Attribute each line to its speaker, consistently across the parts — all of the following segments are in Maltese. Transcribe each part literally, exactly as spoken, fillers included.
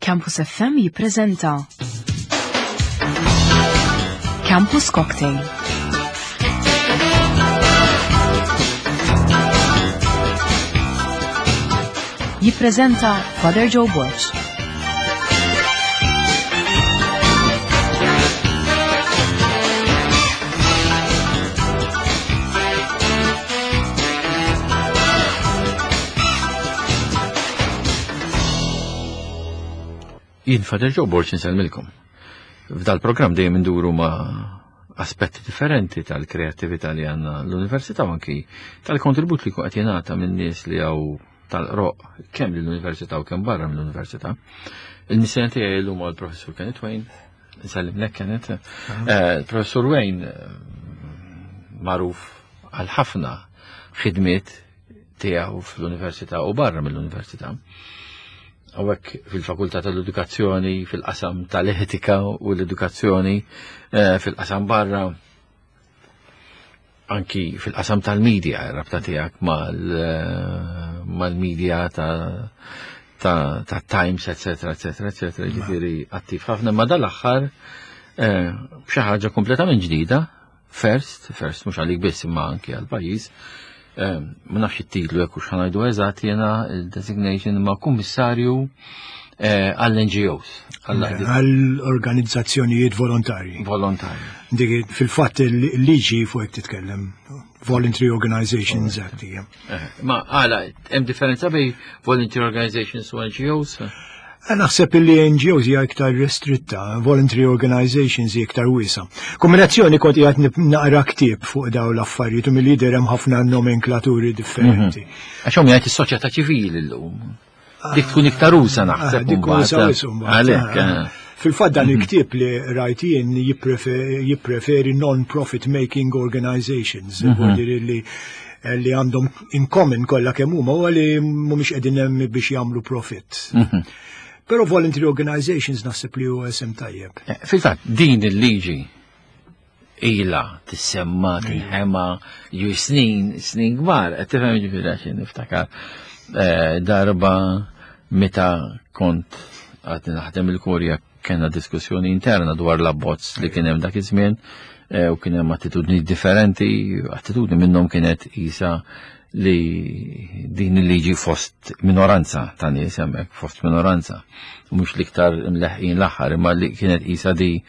Speaker 1: Campus F M jippreżenta Campus Cocktail. Jippreżenta Father Joe Borg.
Speaker 2: Jien Father Joe Borg insellmilkom. F'dal-programm dejjem induru ma' aspetti differenti tal-kreattività li għandna l-università u anki tal-kontribut li qed jingħata minn nies li hawn tal-qroq kemm lill-università u kemm barra mill-università. Il-missjoni tiegħi llum huwa l-Professur Kenneth Wain. Insellimlek, Kenneth. Eh, Professur Wain eh, magħruf għal ħafna ħidmiet tiegħu fl-università u barra mill-università. Hawnhekk fil-Fakultà tal-Edukazzjoni, fil-qasam tal-etika u l-edukazzjoni, eh, fil-qasam barra, anki fil-qasam tal-medja, rabta tiegħek eh, mal-media ta' ta' ta' Times, eccetera, eccetera, eccetera, ġifieri attiv ħafna, ma dal-aħħar eh, b'xi ħaġa kompletament ġdida, first, first mhux għalik biss imma anki għal-pajjiż, eh, ma nafx it-titlu jekk hux ħa ngħidu eżatt jiena il-designation, ma' kummissarju eh, għall-N G Os.
Speaker 3: Għall-organizzazzjonijiet volontarji.
Speaker 2: Volontarji.
Speaker 3: Dik fil-fatt il-liġi fuq hekk titkellem. Voluntary Organizations Act hija.
Speaker 2: Eh, Ma għala, hemm differenza bejn volunteer organizations u N G Os?
Speaker 3: Eh, Naħseb li N G Os hija iktar restritta, voluntary organizations hija iktar wiesa. Kombinazzjoni kont qiegħed nip- naqra ktieb fuq dawn l-affarijiet u mill-lider hemm ħafna nomenklaturi differenti.
Speaker 2: Għax hawn jgħid is-soċjetà ċivili llum. Dik tkun iktar usa naħseb.
Speaker 3: Ah, dik
Speaker 2: mbagħad.
Speaker 3: usa wisq mbagħad.
Speaker 2: Għalhekk.
Speaker 3: Ah,
Speaker 2: eh.
Speaker 3: Fil-fatt dan il-ktieb li rajt jien jipprefe- jippreferi non-profit making organizations, mm li li għandhom in common kollha kemm huma huwa li mhumiex qegħdin hemm biex jagħmlu profit. Però voluntary organizations naħseb li huwa isem tajjeb.
Speaker 2: Eh, Fil-fatt, din il-liġi ila tissemma, tinħema, ju snin, snin kbar, qed tifhem, ġifieri għax niftakar eh, darba meta kont għadni naħdem il-Kurja kena diskussjoni interna dwar l-abbozz li kien hemm dak iż-żmien eh, u kien hemm attitudni differenti, attitudni minnhom kienet isa li din il-liġi fost minoranza ta' nies hemmhekk, fost minoranza, u mhux l-iktar imleħqin l-aħħar, imma li kienet isa di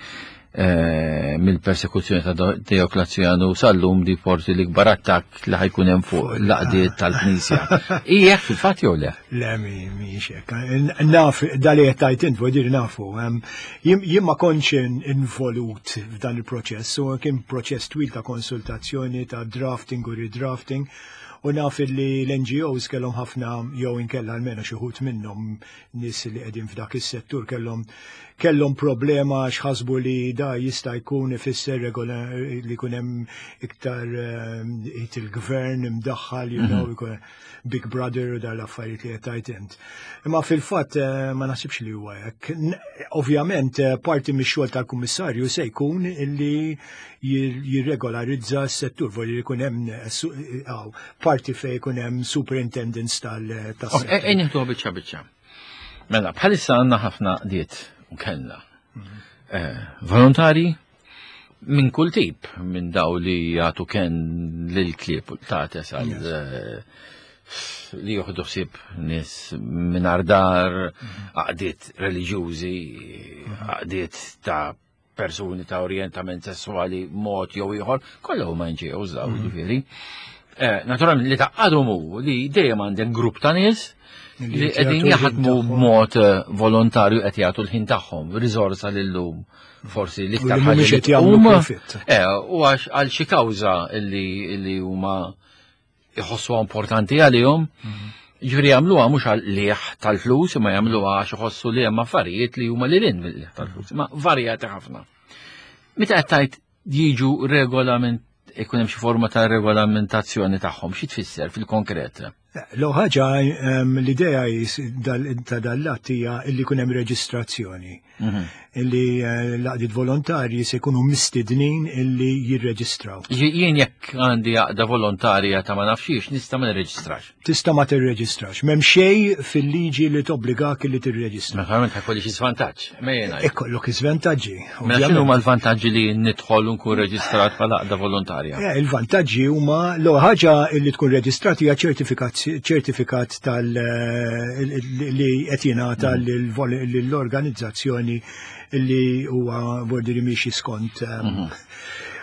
Speaker 2: eh, mill-persekuzzjoni ta' Dioklazjanu sal-lum di forsi l-ikbar attakk li ħa jkun hemm fuq l-għaqdiet tal-Knisja. Ijek fil-fatt jew le?
Speaker 3: Le, mi mhix hekk. Naf, dali qed tajt int, vuol dire nafu. Em, Jien jien ma kontx in- involut f'dan il-proċess, u kien proċess twil ta' konsultazzjoni, ta' drafting u redrafting, u naf li l-N G Os kellhom ħafna, jew inkella almenu xi wħud minnhom, nies li qegħdin f'dak is-settur kellhom kellhom problema għax ħasbu li da jista' jkun ifisser regola li jkun hemm iktar eh, il-gvern imdaħħal, you know, ikun Big Brother u dar l-affarijiet li qed tgħid int. Imma fil-fatt eh, ma naħsibx li huwa hekk. N- Ovvjament eh, parti mix-xogħol tal-kummissarju se jkun illi jir- jirregolarizza s-settur, voglio jkun hemm eh, su- eh, aw, parti fejn jkun hemm superintendents tal tas-settur.
Speaker 2: Ejja nieħdu biċċa biċċa. Mela, bħalissa għandna ħafna għaqdiet u kellna. Eh, Volontari minn kull tip, minn daw li jagħtu ken lil klieb u l-qtates għal eh, li joħdu ħsieb nies minn dar, għaqdiet reliġjużi, għaqdiet ta' persuni ta' orientament sessuali mod jew ieħor, kollha huma N G Os daw, ġifieri. Eh, Naturalment li taqgħadhom hu li dejjem għandek grupp ta' nies
Speaker 3: Li
Speaker 2: li
Speaker 3: qed
Speaker 2: qegħdin
Speaker 3: jagħtu l-ħin
Speaker 2: jaħdmu
Speaker 3: tagħhom.
Speaker 2: b'mod eh, volontarju, qed jagħtu l-ħin tagħhom, riżorsa lillum forsi l-iktar
Speaker 3: U li
Speaker 2: ħaġa
Speaker 3: mhumiex
Speaker 2: li
Speaker 3: qed jagħmlu
Speaker 2: tqum,
Speaker 3: profit.
Speaker 2: Eh, u għax għal xi kawża li li huma jħossuha importanti għalihom. Ġifieri jagħmluha mhux għal liħ tal-flus, imma jagħmluha għax iħossu li hemm affarijiet li huma lil hinn mill-liħ tal-flus, ma varjati ħafna. Meta qed tgħid jiġu regolament, ikun hemm xi forma ta' regolamentazzjoni tagħhom, xi tfisser fil-konkret?
Speaker 3: L ħaġa, l-idea ta' dal-att hija illi jkun hemm reġistrazzjoni. Mhm. Illi eh, l-għaqdiet volontarji se jkunu mistednin illi jirreġistraw.
Speaker 2: Jien jekk għandi għaqda volontarja ta' ma nafxiex, nista' ma nirreġistrax?
Speaker 3: Tista' ma tirreġistrax. M'hemm xejn fil-liġi li tobbligak illi tirreġistra.
Speaker 2: Naturalment ħa jkolli xi żvantaġġ.
Speaker 3: Ikollok iżvantaġġi.
Speaker 2: Mela x'inhu huma l-vantaġġi li nidħol u nkun reġistrat bħala għaqda volontarja?
Speaker 3: Eh, il-vantaġġi huma, l ħaġa li tkun reġistrat hija ċertifikat tal eh, li qed jingħata mm. lill-organizzazzjoni li huwa bordiri miexi skont. Um, mhm.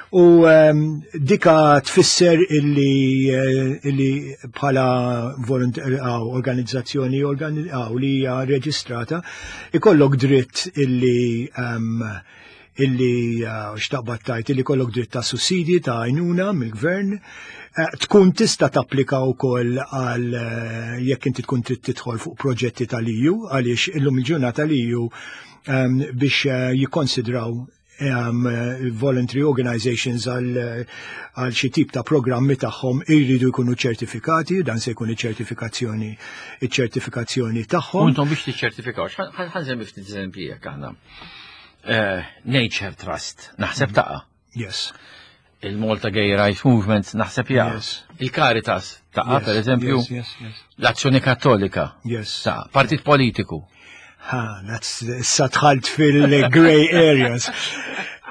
Speaker 3: U um, dika tfisser illi, eh, illi bħala organizzazzjoni li hija reġistrata ikollok dritt illi um, illi uh, xtaqbad tajt illi kollok dritt ta' sussidi ta' għajnuna mill-gvern, eh, tkun tista' tapplika wkoll għal eh, jekk inti tkun trid tidħol fuq proġetti tal-E U, għaliex illum il-ġurnata tal-E U um, biex uh, jikkonsidraw um, voluntary organizations għal għal xi tip ta' programmi tagħhom irridu jkunu ċertifikati, dan se jkun iċ-ċertifikazzjoni iċ-ċertifikazzjoni tagħhom.
Speaker 2: U intom biex tiċċertifikaw, ħa nsemmi ftit eżempji jekk aħna. Eh, Nature Trust, naħseb taqa.
Speaker 3: Yes.
Speaker 2: Il-Malta Gay Rights Movement naħseb jaqa. Yes. Il-Caritas taqa, per eżempju.
Speaker 3: Yes, yes, yes.
Speaker 2: L-Azzjoni Kattolika.
Speaker 3: Yes.
Speaker 2: Taqa. Partit politiku.
Speaker 3: Ha, that's issa dħalt fil-grey areas.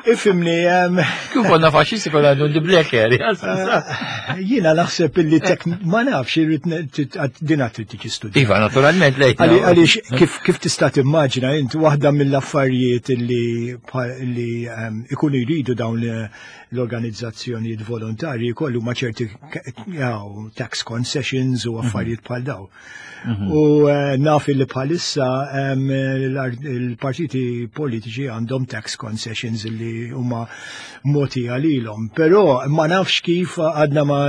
Speaker 3: Ifhimni, um,
Speaker 2: Kif konna faxxisti konna għandu the black areas.
Speaker 3: Uh, jiena naħseb illi tek ma nafx, irrid din għad trid tiġi studjata.
Speaker 2: Iva, naturalment lejt.
Speaker 3: Għaliex kif kif tista' timmaġina int, waħda mill-affarijiet illi li um, ikunu jridu dawn l-organizzazzjonijiet volontarji kollu ma ċerti tax concessions u affarijiet bħal daw. Mhm. U eh, naf li bħalissa il-partiti politiċi għandhom tax concessions li huma moti għalilhom, però ma nafx kif għadna ma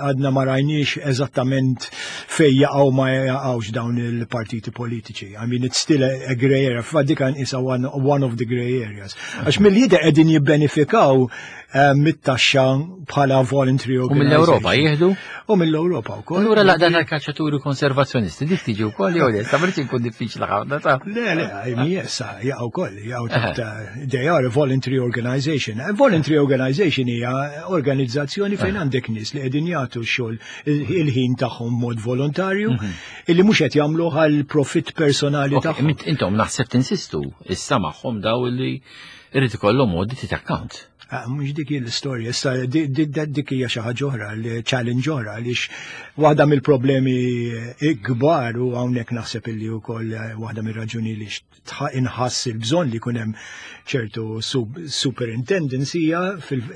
Speaker 3: għadna ma rajniex eżattament fej jaqgħu ma jaqgħux dawn il-partiti politiċi. I mean, it's still a, a grey area. Fadika isa one, one of the grey areas. Għax mill-jida qegħdin jibbenefikaw eh, mit-taxxa bħala voluntary
Speaker 2: U mill-Ewropa jieħdu?
Speaker 3: U mill-Ewropa wkoll.
Speaker 2: Allura l-għaqda tal-kaċċaturi konservazzjonisti dik tiġi wkoll jew le? Sa jkun diffiċli ħafna ta'
Speaker 3: Le, le, yes, jaqgħu wkoll, jaqgħu taħt, they are a voluntary organization. A voluntary organization hija organizzazzjoni fejn għandek nies li qegħdin jagħtu x-xogħol, il-ħin tagħhom mod volontarju, mhm. illi mhux qed jagħmlu għal profit personali tagħhom.
Speaker 2: Intom naħseb tinsistu issa magħhom daw li irid ikollhom audit account.
Speaker 3: Ah, mhux dik l-istorja, issa dik hija xi ħaġa oħra, challenge oħra, għaliex waħda mill-problemi kbar, u hawnhekk naħseb illi wkoll waħda mir-raġuni li inħass il-bżonn li jkun hemm ċertu superintendence, hija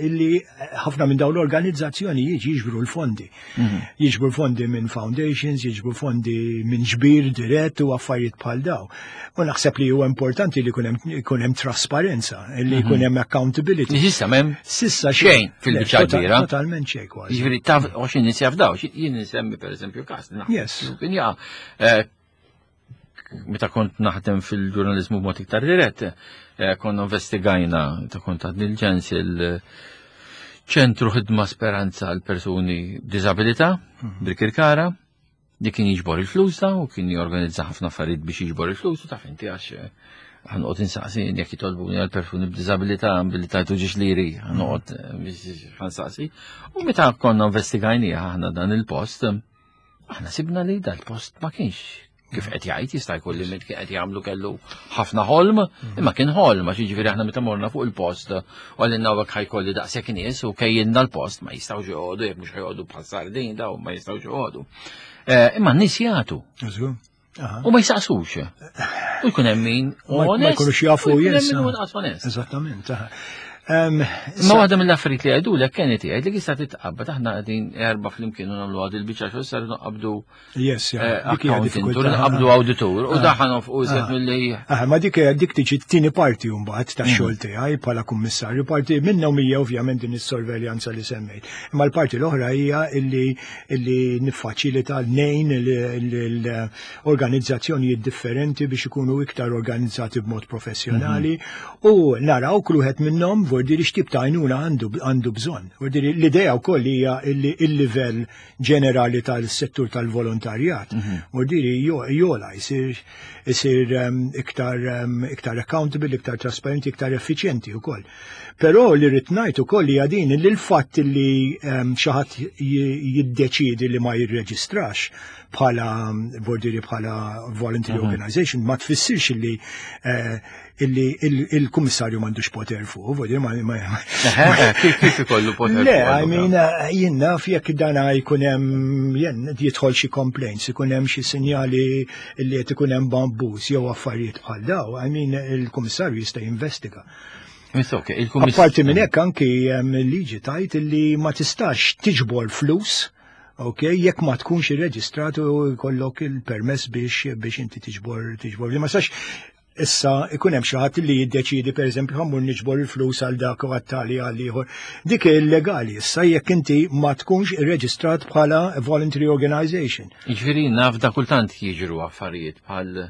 Speaker 3: illi ħafna minn dawn l-organizzazzjoni jiġi jiġbru l-fondi. Mhm. Jiġbru fondi minn foundations, jiġbru fondi minn ġbir dirett u affarijiet bħal daw. U naħseb li huwa importanti li jkun hemm trasparenza, li jkun hemm accountability.
Speaker 2: S'issa m'hemm
Speaker 3: S'issa
Speaker 2: xejn fil-biċċa kbira.
Speaker 3: Totalment xejn kważi.
Speaker 2: Jiġifieri taf għax nies jafdaw, jien nsemmi pereżempju każ.
Speaker 3: Yes.
Speaker 2: Kien jaqa' eh, meta kont naħdem fil-ġurnalizmu b'mod iktar dirett, eh, konna investigajna, ta' kont għad il-ġens il-ċentru ħidma Speranza għal persuni b'diżabilità mhm. Birkirkara, li kien jiġbor il-flus da u kien jorganizza ħafna affarijiet biex jiġbor il-flus, u taf inti għax eh, ħa noqgħod insaqsi jekk jitolbuni għal persuni b'diżabilità billi tajtu ġiex liri, ħa noqgħod eh, biex ħa nsaqsi. U meta konna investigajnieh aħna dan il-post, aħna sibna li dal-post ma kienx kif qed jgħid. Jista' jkun li kien qed jagħmlu kellu ħafna ħolm, imma kien ħolm, għax jiġifieri aħna meta morna fuq il-post u għalinna hawnhekk ħa jkolli daqshekk nies u kejjilna l-post, ma jistgħux joqogħdu jekk mhux ħa joqogħdu bħal sardin daw, ma jistgħux joqogħdu. Eh, imma n-nies jagħtu. U ma jsaqsux. U jkun hemm min
Speaker 3: Ma jkunux jafu.
Speaker 2: U jkun hemm min hu inqas onest.
Speaker 3: Eżattament.
Speaker 2: Ma waħda mill-affarijiet li għidulek kienet jgħid li jista' titqabbad, aħna qegħdin erba' flimkien u nagħmlu għad il-biċċa xogħol, sar nqabdu
Speaker 3: Yes,
Speaker 2: dik hija diffikultà. Nqabdu awditur u daħan u iżjed milli.
Speaker 3: Ah, ma dik dik tiġi t-tieni parti mbagħad tax-xogħol tiegħi bħala kummissarju. Parti minnhom hija ovvjament din is-sorveljanza li semmejt. Imma l-parti l-oħra hija illi illi niffaċilita nejn l-organizzazzjonijiet differenti biex ikunu iktar organizzati b'mod professjonali u naraw kull wieħed minnhom Vordiri x'tip ta' għajnuna għandu għandu bżonn. Vordiri l-idea wkoll hija illi il-livell ġenerali tal-settur tal-volontarjat. Vordiri jola jsir isir um, iktar um, iktar accountable, iktar trasparenti, iktar effiċjenti wkoll. Però li rrid ngħid ukoll hija din li l-fatt li um, xi ħadd jiddeċiedi li ma jirreġistrax bħala vordiri bħala voluntary organization ma tfissirx li eh, illi il-kummissarju m'għandux poter fuq, vordiri ma
Speaker 2: Kif kif ikollu poter?
Speaker 3: Le, I mean, eh, jien naf jekk dana jkun hemm jien jidħol xi complaints, ikun hemm xi sinjali li qed ikun hemm abbuż jew affarijiet bħal daw, I mean, il-kummissarju jista' jinvestiga. Apparti minn hekk anki liġi tgħid illi ma tistax tiġbor flus, ok, jekk ma tkunx irreġistrat u jkollok il-permess biex biex inti tiġbor tiġbor. Li ma sax issa ikun hemm xi ħadd li jiddeċiedi, pereżempju, ħa mmur niġbor il-flus għal dak u għat-tali għal ieħor. Dik illegali issa jekk inti ma tkunx irreġistrat bħala voluntary organization.
Speaker 2: Jiġifieri naf da kultant jiġru affarijiet bħal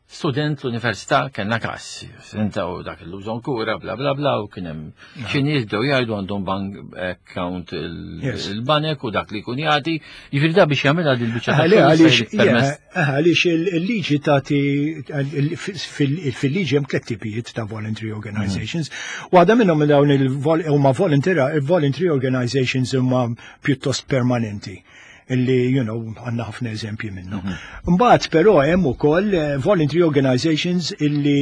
Speaker 2: student l-università, kellna każ, senta u dak il-lużon kura, bla bla bla, u kien hemm xi nies bdew jgħidu għandhom bank account il-banek u dak li jkun jagħti, jiġifieri da biex jagħmilha dil biċċa.
Speaker 3: Għaliex il-liġi tagħti, fil-liġi hemm tliet tipijiet ta' voluntary organizations. Waħda minnhom dawn huma voluntary organizations huma pjuttost permanenti illi you know, għandna ħafna eżempji minnu. Mbagħad però hemm ukoll eh, voluntary organizations illi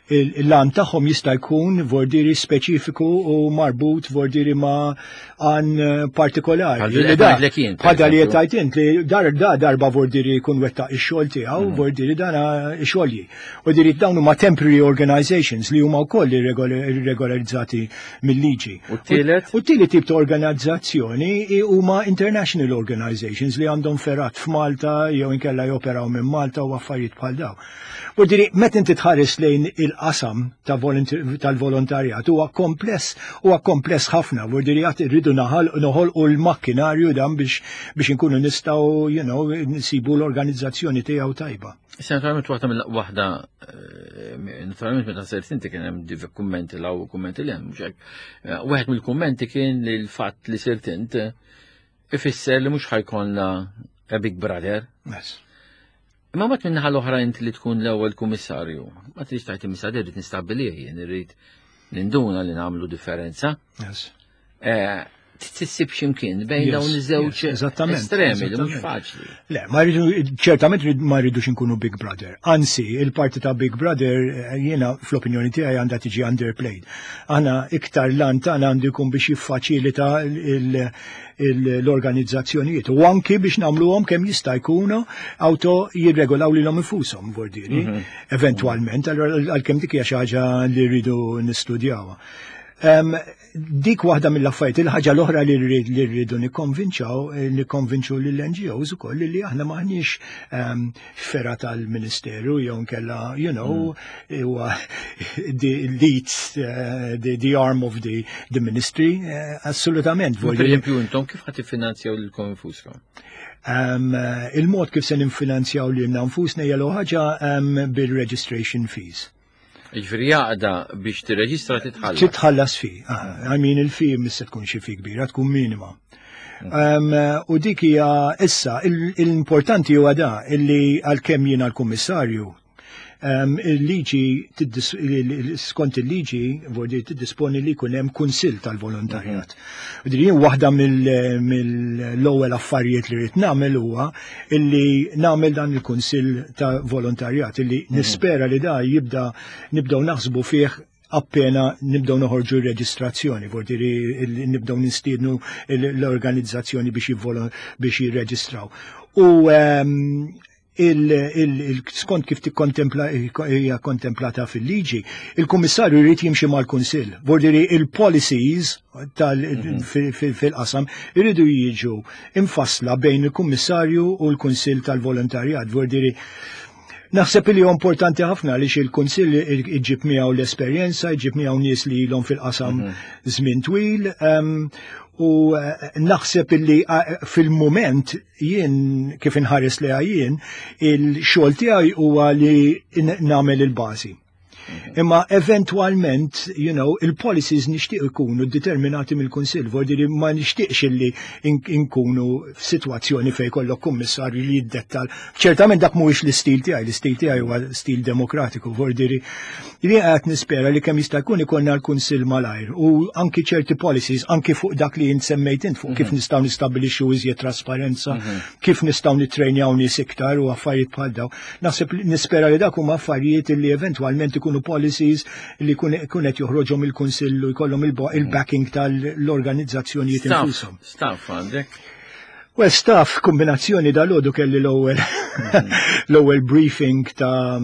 Speaker 3: l-għan tagħhom jista' jkun vordiri speċifiku u marbut vordiri ma' għan partikolari. Bħal li tajt int li dar da darba vordiri jkun wettaq ix-xogħol tiegħu, mhm. vordiri dana xogħli. U diri dawn huma temporary organizations li huma wkoll irregolarizzati mill-liġi.
Speaker 2: U t-tielet?
Speaker 3: U t-tielet tip ta' organizzazzjoni huma international organizations li għandhom fergħat f'Malta jew inkella joperaw minn Malta u affarijiet bħal daw. U diri, meta inti tħares lejn il-qasam tal-volontarjat huwa kompless, huwa kompless ħafna, vordiri għad irridu noħolqu l-makkinarju dan biex biex inkunu nistgħu you know, nsibu l-organizzazzjoni tiegħu tajba.
Speaker 2: Issa naturalment waħda mill waħda eh, naturalment meta sirt inti kien hemm div kummenti 'l hawn u kummenti 'l hemm, mhux hekk. Eh, Wieħed mill-kummenti kien li l-fatt li sirt int ifisser li mhux ħa jkollna a Big Brother.
Speaker 3: Yes.
Speaker 2: Imma mbagħad min-naħa l-oħra inti li tkun l-ewwel kummissarju, ma tridx tgħid imissa irrid nistabbilih jien, irrid ninduna li nagħmlu differenza.
Speaker 3: Yes.
Speaker 2: Eh, Tissib x'imkien bejn
Speaker 3: Yes,
Speaker 2: dawn iż-żewġ
Speaker 3: yes, eżattament,
Speaker 2: estremi li mhux
Speaker 3: eżattament.
Speaker 2: faċli.
Speaker 3: Le, ma rridu, ċertament rid- ma rridux nkunu Big Brother. Anzi, il-parti ta' Big Brother eh, jiena fl-opinjoni tiegħi għandha tiġi underplayed. Aħna iktar l-għan tagħna għandu jkun biex jiffaċilita il- il- l-organizzazzjonijiet u anki biex nagħmluhom kemm jista' jkunu auto jirregolaw lilhom infushom vordiri, eventwalment, għalkemm dik hija xi ħaġa li rridu nistudjawha. Um, dik waħda mill-affarijiet, il-ħaġa l-oħra li rrid li rridu nikkonvinċaw, eh, nikkonvinċu lill-N G Os ukoll li aħna maħniex um, fergħa tal-Ministeru jew nkella, you know, huwa the leads, uh, the, the arm of the, the ministry, uh, assolutament.
Speaker 2: Per eżempju, intom kif ħa tiffinanzjaw lilkom infuskom?
Speaker 3: Um, eh, il-mod kif se ninfinanzjaw lilna nfusna hija ħaġa um, bil-registration fees.
Speaker 2: Jiġifieri għaqda biex tirreġistra titħallas.
Speaker 3: Titħallas fee. Ah, I mean, il-fee mhux se tkun xi fee kbira, tkun minima. Um, u dik hija issa il- l-importanti huwa da illi għalkemm jiena l-kummissarju um, il-liġi tiddis- il- il- skont il-liġi vordi tiddisponi li jkun hemm kunsill tal-volontarjat. U din jien waħda mill- mill-ewwel affarijiet li rrid nagħmel huwa illi nagħmel dan il-kunsill ta' volontarjat illi nispera li da jibda nibdew naħsbu fih appena nibdew noħorġu r-reġistrazzjoni, vordi nibdew nistiednu l-organizzazzjoni biex jivvolo- biex jirreġistraw. U ehm, il, il, il, skont kif tikkontempla hija kontemplata fil-liġi, il-kummissarju jrid jimxi mal-kunsill. Vordiri il-policies tal fil- fil- fil-qasam iridu jiġu infassla bejn il-kummissarju u l-kunsill tal-volontarjat. Vordiri naħseb li huwa importanti ħafna għaliex il-kunsill iġib miegħu l-esperjenza, iġib miegħu nies li ilhom fil-qasam żmien twil, em, u eh, naħseb illi eh, fil-moment jien kif inħares li jien il-xogħol tiegħi huwa li n- nagħmel il-bażi. Imma eventualment, you know, il-policies nixtieq ikunu determinati mill-Kunsill, vuol ma nixtieqx illi inkunu f'sitwazzjoni fejn kollok kummissarju li jiddettal. Ċertament dak mhuwiex l-istil tiegħi, l-istil tiegħi huwa stil demokratiku, vuol li qed nispera li kemm jista' jkun ikollna l-Kunsill malajr u anki ċerti policies, anki fuq dak li int semmejt int fuq kif mhm. nistgħu nistabbilixxu iżjed trasparenza, mhm. kif nistgħu nittrejnjaw nies iktar u affarijiet bħal dawn. Naħseb nispera li dak huma affarijiet li eventwalment ikunu policies li kun qed joħroġhom il-Kunsill u jkollhom il-backing tal-organizzazzjonijiet infushom.
Speaker 2: Staff għandek?
Speaker 3: Well, staff kombinazzjoni dal-għodu kelli l-ewwel l-ewwel briefing ta',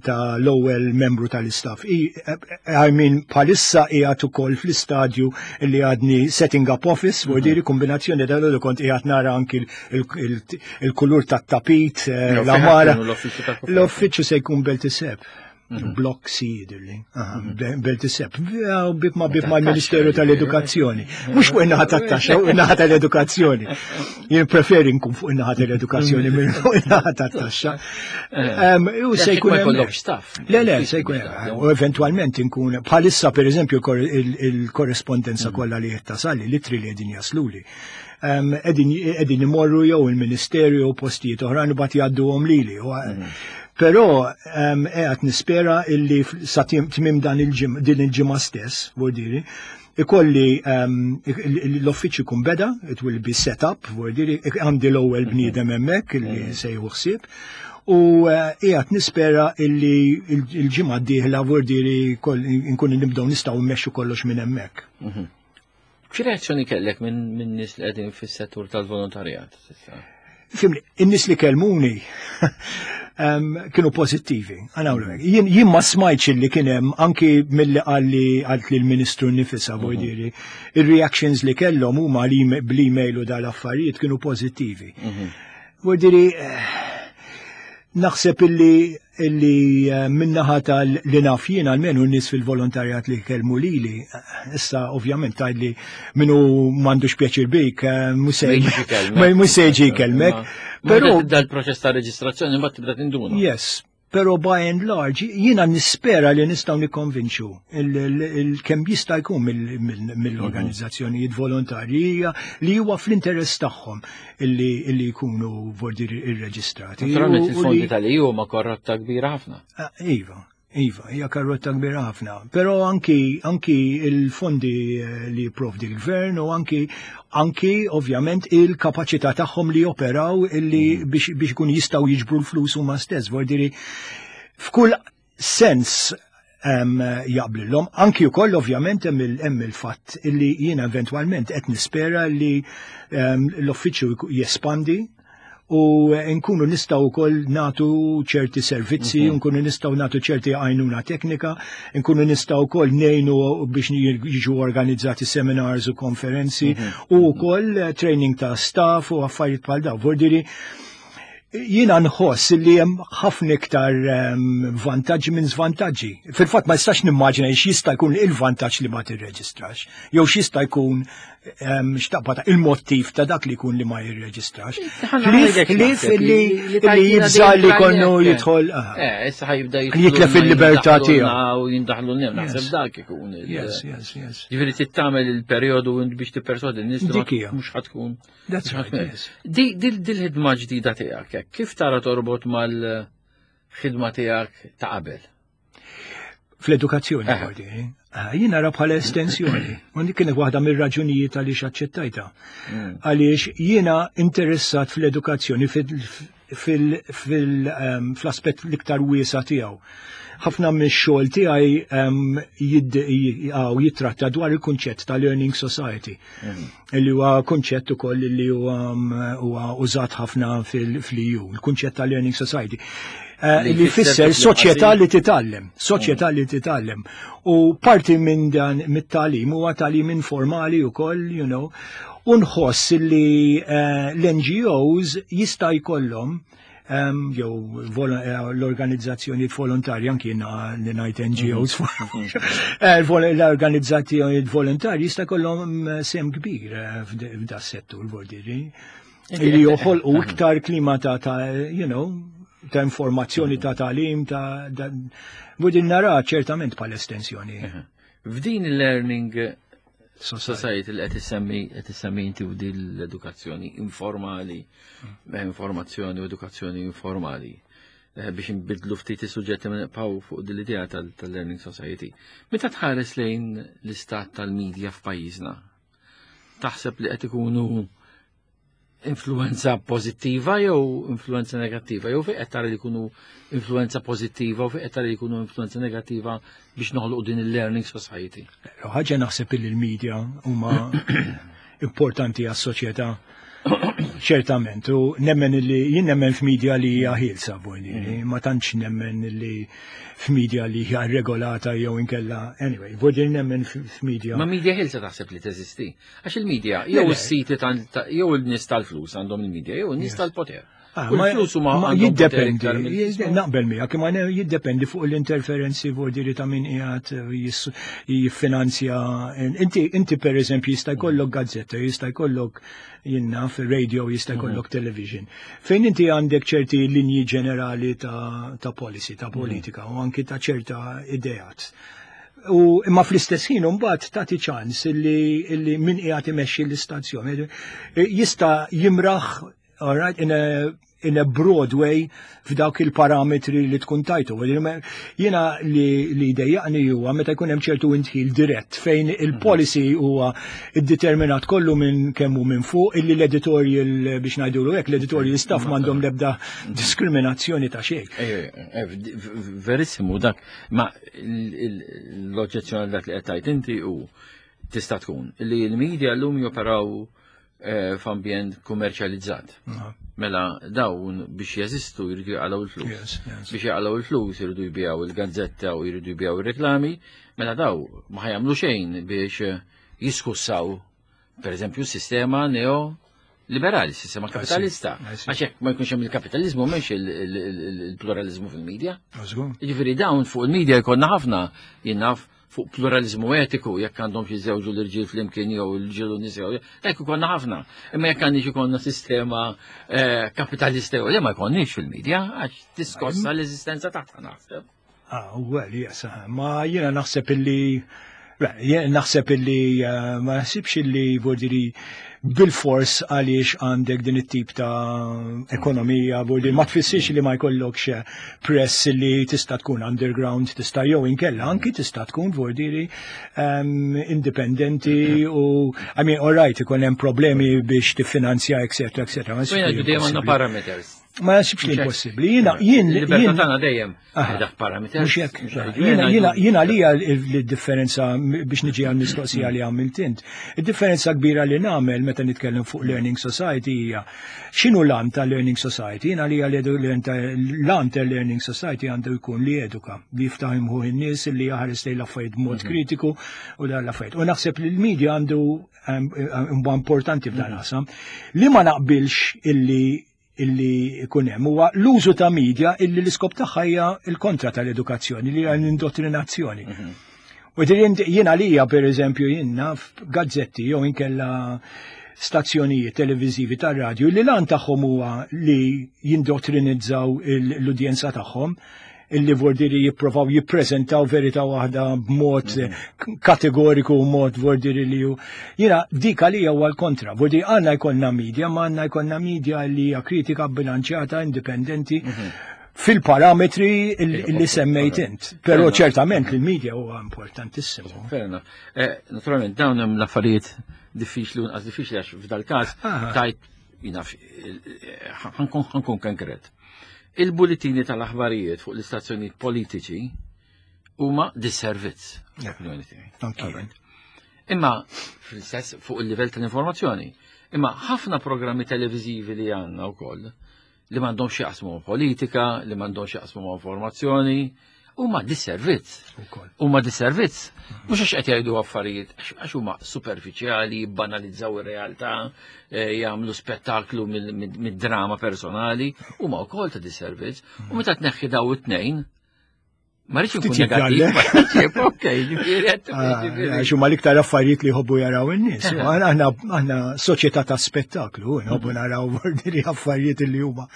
Speaker 3: ta l-ewwel membru tal-istaff. I mean, bħalissa qiegħed ukoll fl-istadju li għadni setting up office, mm -hmm. kombinazzjoni dal-għodu kont qiegħed nara anki il-kulur tat-tapit, eh, l-għamara. L-uffiċċju se jkun Belt is-Sebħ. Mhm. Blok C jidirli. Mhm. Belt is-Sebħ. Bib ma bib ma l-Ministeru tal-Edukazzjoni. Mhux fuq in-naħa tat-taxxa, fuq in-naħa tal-edukazzjoni. Jien preferi nkun fuq in-naħa tal-edukazzjoni minn fuq in-naħa tat-taxxa.
Speaker 2: U se jkun hemm staff.
Speaker 3: Le, le, se jkun u eventwalment inkun bħalissa pereżempju il-korrespondenza mhm. kollha li qed tasali, l-ittri li qegħdin jasluli qegħdin imorru jew il-Ministeru jew postijiet oħrajn u mbagħad jgħadduhom lili. Però qiegħed nispera illi sa tmim dan din il-ġimgħa stess, vuol ikolli l-uffiċċju kun beda, it will be set up, vuol għandi l-ewwel bniedem hemmhekk illi mhm. se jieħu ħsieb. U eh, qiegħed nispera illi il-ġimgħa d-dieħla vuol nkun nibdew nistgħu mmexxu kollox minn hemmhekk.
Speaker 2: Mhm. Xi reazzjoni kellek minn nies li qegħdin fis-settur tal-volontarjat?
Speaker 3: Ifhimni, in-nies li kelmuni kienu pozittivi. Jien jien ma smajtx li kien hemm anki milli qalli qalt li l-Ministru nifisha mhm. voldiri. Ir-reactions li kellhom huma li bl-email u dal-affarijiet kienu pożittivi. Mhm. Voldiri eh, naħseb illi illi eh, min-naħa tal li naf jien almenu n-nies fil-volontarjat li kellmu lili, eh, issa ovvjament tgħidli minnu m'għandux pjaċir bik, mhux se jiġi jkellmek.
Speaker 2: Però dal-proċess ta' reġistrazzjoni mbagħad tibda tinduna.
Speaker 3: Yes, pero by and large jiena nispera li nistgħu nikkonvinċu il-kemm jista' jkun mill-organizzazzjonijiet volontarji li huwa fl-interess tagħhom illi jkunu vordir irreġistrati.
Speaker 2: Naturalment il-fondi tal-E U huma karrotta kbira ħafna.
Speaker 3: Ah, iva, Iva, hija karrotta kbira ħafna. Però anki anki il-fondi eh, li jipprovdi l-gvern u anki anki ovvjament il-kapaċità tagħhom li joperaw illi mm. biex biex ikun jistgħu jiġbru l-flus huma stess. Vordiri f'kull sens um, jaqblilhom. Anki wkoll ovvjament hemm il-fatt illi jiena eventwalment qed nispera li um, l-uffiċċju jespandi u nkunu nistgħu wkoll nagħtu ċerti servizzi, mhm. nkunu nistgħu nagħtu ċerti għajnuna teknika, nkunu nistgħu wkoll ngħinu biex jiġu organizzati seminars u konferenzi mhm. u wkoll training ta' staff u affarijiet bħal dawn. Vordiri, jiena nħoss li hemm ħafna iktar ehm, vantaġġi minn żvantaġġi. Fil-fatt ma nistax nimmaġina x'jista' jkun il-vantaġġ li ma tirreġistrax, jew x'jista' jkun ehm, x'taqbad il-mottiv ta' dak li jkun li ma jirreġistrax. Ħlief li jibża li konnu jidħol.
Speaker 2: Eh, issa ħa jibda
Speaker 3: jitlef il-libertà tiegħu.
Speaker 2: U jindaħlu n naħseb dak ikun.
Speaker 3: Yes, yes, yes.
Speaker 2: Ġifieri tittamel il-perjodu biex tipperswadi n-nies mhux ħa tkun.
Speaker 3: That's right, yes.
Speaker 2: Di dil-ħidma ġdida tiegħek, kif tara torbot mal-ħidma tiegħek ta' qabel?
Speaker 3: Fl-edukazzjoni, eh. ah, jien nara bħala estensjoni. U dik kienet waħda mir-raġunijiet għaliex aċċettajta. Mm. Għaliex jiena interessat fl-edukazzjoni ehm, fl-aspett l-iktar wiesa tiegħu. Ħafna mix-xogħol tiegħi ehm, jittratta dwar il-kunċett ta' Learning Society. Mm. Li huwa kunċett ukoll li huwa użat ħafna fil-E U, il-kunċett ta' Learning Society. Eh, li fisser soċjetà li titgħallem, soċjetà li titgħallem. U parti minn dan mit-tagħlim huwa tagħlim informali wkoll, you know, u nħoss li eh, l-N G Os jista' jkollhom jew eh, l-organizzazzjoni volontarji, anki li ngħid N G Os, mhm. l-organizzazzjoni volontarji jista' jkollhom sehem kbir f'da settur, vordiri li joħolqu iktar klima ta' you know, ta' informazzjoni, ta' tagħlim, ta' Budin nara ċertament bħala estensjoni.
Speaker 2: F'din il-learning society li qed issemmi qed issemmi inti u din l-edukazzjoni informali, informazzjoni u edukazzjoni informali, eh, biex nbidlu ftit is-suġġetti ma nibqgħu fuq din l-idea tal-learning society. Meta tħares lejn l-istat tal-medja f'pajjiżna, taħseb li qed ikunu influenza pozittiva jew influenza negattiva, jew fejn qed tara li jkunu influenza pozittiva u fejn qed tara li jkunu influenza negattiva biex noħloq din il-learning society?
Speaker 3: Ħaġa naħseb li l-media huma importanti għas-soċjetà ċertament, u nemmen li jien nemmen f'media li hija ħielsa, mm. ma tantx nemmen li f'media li hija regolata jew inkella, anyway, vuol nemmen f'media.
Speaker 2: Ma media ħielsa taħseb li teżisti? Għax il-media jew is-siti jew il-nies tal-flus għandhom il-media jew il-nies tal-poter.
Speaker 3: Ah, ma ma jiddependi, naqbel miegħek, imma jiddependi fuq l-interferenzi vuol ta' min qiegħed jiffinanzja. Inti inti per eżempju jista' jkollok gazzetta, jista' jkollok jinna radio, jista' jkollok mhm. television. Fejn inti għandek ċerti linji ġenerali ta', ta policy, ta' mhm. politika u anki ta' ċerta ideat. U imma fl-istess ħin mbagħad tagħti ċans illi, illi min qiegħed imexxi l-istazzjon jista' jimraħ, all right, in a in a broad way f'dawk il-parametri li tkun tajtu. Jiena li li dejjaqni huwa meta jkun hemm ċertu indħil dirett fejn il-policy huwa iddeterminat kollu minn kemm hu minn fuq, illi l-editorial, biex ngħidulu hekk, l-editorial staff m'għandhom l-ebda diskriminazzjoni ta' xejn.
Speaker 2: Verissimu dak, ma l-oġġezzjoni dak li qed tgħid inti u tista' tkun li l-media llum joperaw eh, f'ambjent kummerċjalizzat. Mela dawn biex jeżistu jridu jaqalgħu il-flus. Biex jaqalgħu il-flus jridu jbijaw il-gazzetta u jridu jbijaw il-reklami, mela daw ma ħa jagħmlu xejn biex jiskussaw, per eżempju, sistema neo liberali, sistema kapitalista. Għax hekk ma jkunx hemm il-kapitalizmu, m'hemmx il-pluralizmu fil-medja. Jiġifieri dawn fuq il-medja jkollna ħafna, jien naf, fuq pluralizmu etiku, jekk għandhom xi żewġu l-irġiel flimkien jew l-irġiel u nisa, hekk ikollna ħafna. Imma jekk għandix ikollna sistema eh, kapitalista jew ma jkollniex fil-medja, għax tiskossa l-eżistenza tagħha, naħseb.
Speaker 3: Ah, well, yes, ma jiena naħseb illi naħseb illi eh, ma naħsibx illi vuol bil-fors għaliex għandek din it-tip ta' ekonomija, vuol ma tfissirx li ma jkollokx press li tista' tkun underground, tista' jew inkella anki tista' tkun vuol um, indipendenti u, I mean, all right, ikun hemm problemi biex tiffinanzja, eccetera, eccetera.
Speaker 2: Ma dejjem għandna parameters.
Speaker 3: Ma nasibx li impossibbli. Jiena jien
Speaker 2: Libertà tagħna dejjem dak parameters.
Speaker 3: Mhux hekk. Jiena jiena jiena li l-differenza, biex niġi għal mistoqsija li għamilt int. Id-differenza kbira li nagħmel meta nitkellem fuq Learning Society hija x'inhu l-għan ta' Learning Society. Jiena li l-għan ta' Learning Society għandu jkun li eduka, li jiftaħ imħuħ in-nies, li jaħares lejn l-affarijiet b'mod mhm. kritiku u dan l-affarijiet. U naħseb li l-media għandu importanti f'dan qasam. Li ma naqbilx illi illi ikun hemm huwa l-użu ta' media illi l-iskop tagħha hija l-kontra tal-edukazzjoni, li hija l-indottrinazzjoni. Mhm. U jien għalija, per eżempju, jiena f'gazzetti jew inkella stazzjonijiet televiżivi tar-radju li l-għan tagħhom huwa li jindottrinizzaw l-udjenza tagħhom, illi vordiri jipprovaw jippreżentaw verità waħda b'mod mhm. kategoriku, mod vordiri li ju. Jiena dik għalija huwa l-kontra. Vordiri għandna jkollna media, ma għandna jkollna media li hija kritika, bilanċjata, indipendenti mhm. fil-parametri li semmejt int. Però ċertament li l-media huwa importantissimu.
Speaker 2: Fair enough. Eh, naturalment dawn hemm l-affarijiet diffiċli u nqas diffiċli, għax f'dal-każ tajt jina ħa nkun konkret. Il-bulletini tal-aħbarijiet fuq l-istazzjonijiet politiċi huma disservizz, l-opinjoni tiegħi. Imma fl-istess fuq il-livell tal-informazzjoni. Imma ħafna programmi televiżivi li għandna wkoll li m'għandhomx jaqsmu ma' politika, li m'għandhomx jaqsmu ma' informazzjoni, huma disservizz. Huma disservizz. Mhux għax qed jgħidu affarijiet, għax huma superfiċjali, banalizzaw ir-realtà, eh, jagħmlu spettaklu mid-drama personali, huma wkoll ta' disservizz. U meta tneħħi daw it-tnejn, Ma rridx inkun negattiv. Ok, ġifieri.
Speaker 3: Għax huma l-iktar affarijiet li jħobbu jaraw in-nies. Aħna aħna soċjetà ta' spettaklu, nħobbu naraw ordini affarijiet li huma.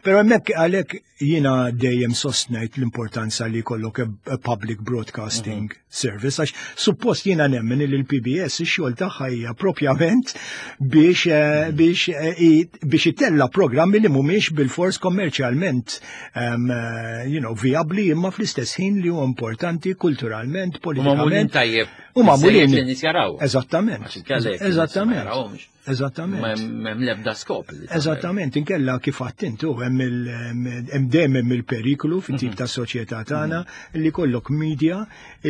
Speaker 3: Però hemmhekk għalhekk jiena dejjem sostnejt l-importanza li jkollok a public broadcasting mhm. service, għax suppost jiena nemmen li l-P B S ix-xogħol tagħha hija propjament biex eh, mhm. biex eh, biex itella programmi li mhumiex bil-fors kommerċjalment um, you know, viabli, imma fl-istess ħin li huwa importanti kulturalment, politikament.
Speaker 2: Tajjeb.
Speaker 3: U magħmulin.
Speaker 2: Jaraw.
Speaker 3: Eżattament. Eżattament. Eżattament.
Speaker 2: M'hemm l-ebda skop.
Speaker 3: Eżattament, inkella kif għedt inti, hemm dejjem hemm il-periklu fit-tip ta' soċjetà tagħna li kollok media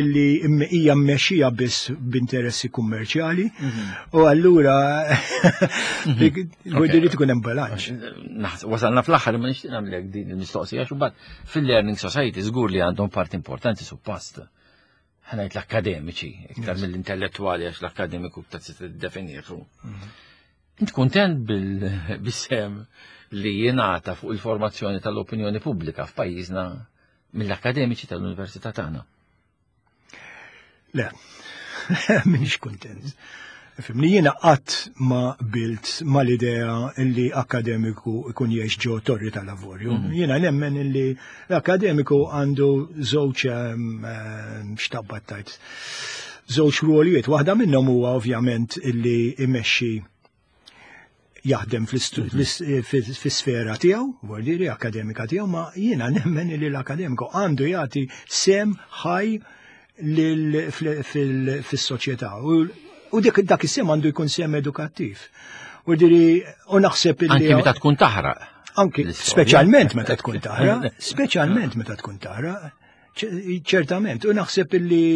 Speaker 3: illi hija mmexxija biss b'interessi kummerċjali u allura irid ikun hemm bilanċ.
Speaker 2: Wasalna fl-aħħar, ma nixtieq nagħmlek din il-mistoqsija xi fil-learning society żgur li għandhom parti importanti suppost, ħa ngħid l-akademiċi, iktar mill-intellettuali, għax l-akademiku ta' tiddefinixxu. Int kontent bil-sehem li jingħata fuq il-formazzjoni tal-opinjoni pubblika f'pajjiżna mill-akademiċi tal-Università tagħna?
Speaker 3: Le, m'iniex kontent. Fimni, jiena qatt ma qbilt mal-idea illi akademiku ikun jgħix ġo torri tal-avorju. Mhm. Jiena nemmen illi l-akademiku għandu żewġ xtabbat tajt. Żewġ ruolijiet. Waħda minnhom huwa ovvjament illi imexxi, jaħdem fis-sfera tiegħu, vordiri akademika tiegħu, ma jiena nemmen li l-akademiku għandu jagħti sehem ħaj fis-soċjetà. U dik dak is-sehem għandu jkun sehem edukattiv. U diri, u naħseb
Speaker 2: illi. Anki meta tkun taħraq.
Speaker 3: Anki, speċjalment meta tkun taħraq, speċjalment meta tkun taħraq, ċertament. U naħseb illi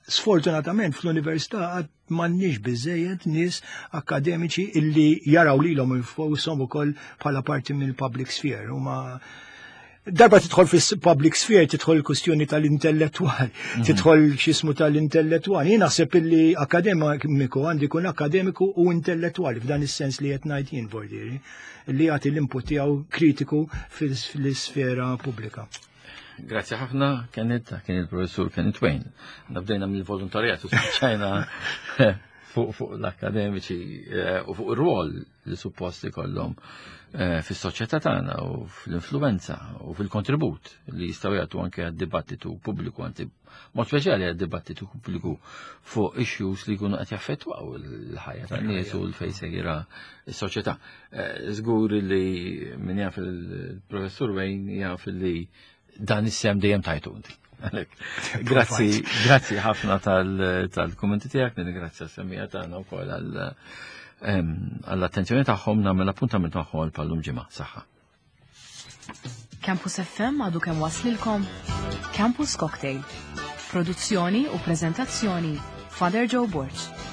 Speaker 3: sfortunatament fl-università għad m'għandniex biżejjed nies akademiċi illi jaraw lilhom infushom ukoll bħala parti mill-public sphere. Huma darba tidħol fis-public sphere, tidħol il-kustjoni tal-intellettual, mhm. tidħol x'jismu tal-intellettual. Jien naħseb illi akademiku għandu jkun akademiku u intellettuali f'dan is-sens li qed ngħid jien, vordiri, li jagħti l-input tiegħu kritiku fil-sfera pubblika.
Speaker 2: Grazzi ħafna, Kenneth, kien il-professur Kenneth Wain. Bdejna mill-volontarjat u spiċċajna fuq fuq l-akademiċi eh, u fuq ir-rwol li supposti kollhom eh, fis-soċjetà tagħna u fl-influenza u fil-kontribut li jistgħu jagħtu anke għad-dibattitu pubbliku, anzi mod speċjali għad-dibattitu pubbliku fuq issues li jkunu qed jaffettwaw il-ħajja tan-nies u l-fejn sejra s-soċjetà. Eh, żgur li min jaf il-professur Wain jaf li dan is-sehem dejjem tajtu inti. Grazzi, grazzi ħafna tal-kummenti tiegħek, nirringrazzja s-semmiegħa tagħna wkoll għall-attenzjoni tagħhom, nagħmel appuntament magħhom għal bħal-lum ġimgħa. Saħħa.
Speaker 1: Campus F M għadu kemm waslilkom Campus Cocktail. Produzzjoni u prezentazzjoni, Father Joe Borg.